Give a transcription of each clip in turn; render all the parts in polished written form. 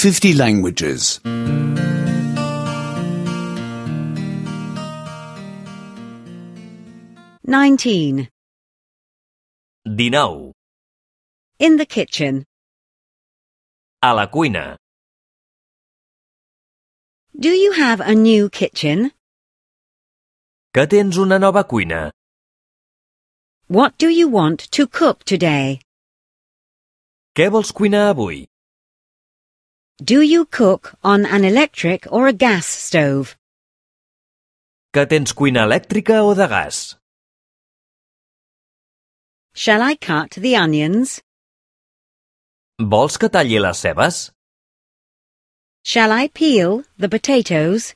50 languages. 19. 19. In the kitchen. A la cuina. Do you have a new kitchen? Que tens una nova cuina? What do you want to cook today? Què vols cuinar avui? Do you cook on an electric or a gas stove? Que tens cuina elèctrica o de gas? Shall I cut the onions? Vols que talli les cebes? Shall I peel the potatoes?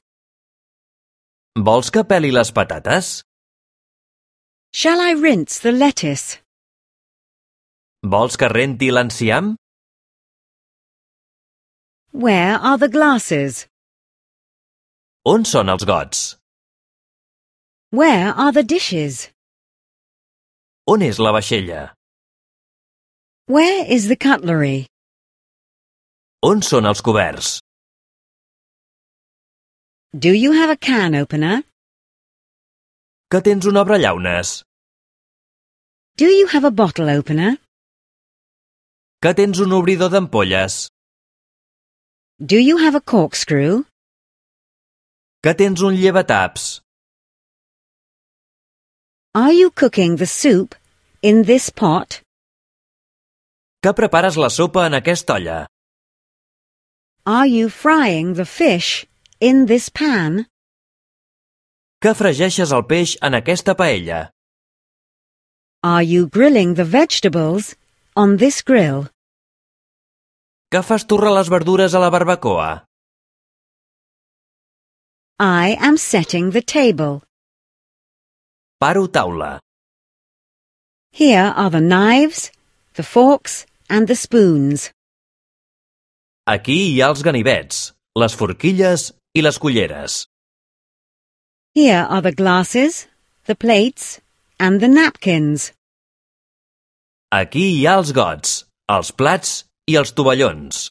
Vols que peli les patates? Shall I rinse the lettuce? Vols que renti l'enciam? Where are the glasses? On són els gots? Where are the dishes? On és la vaixella? Where is the cutlery? On són els coberts? Do you have a can opener? Que tens un obrellaunes? Do you have a bottle opener? Que tens un obridor d'ampolles? Do you have a corkscrew? Que tens un llevataps? Are you cooking the soup in this pot? Que prepares la sopa en aquesta olla? Are you frying the fish in this pan? Que fregeixes el peix en aquesta paella? Are you grilling the vegetables on this grill? Que fas torrar les verdures a la barbacoa? I am setting the table. Paro taula. Here are the knives, the forks, and the spoons. Aquí hi ha els ganivets, les forquilles i les culleres. Here are the glasses, the plates, and the napkins. Aquí hi ha els gots, els plats i els tovallons.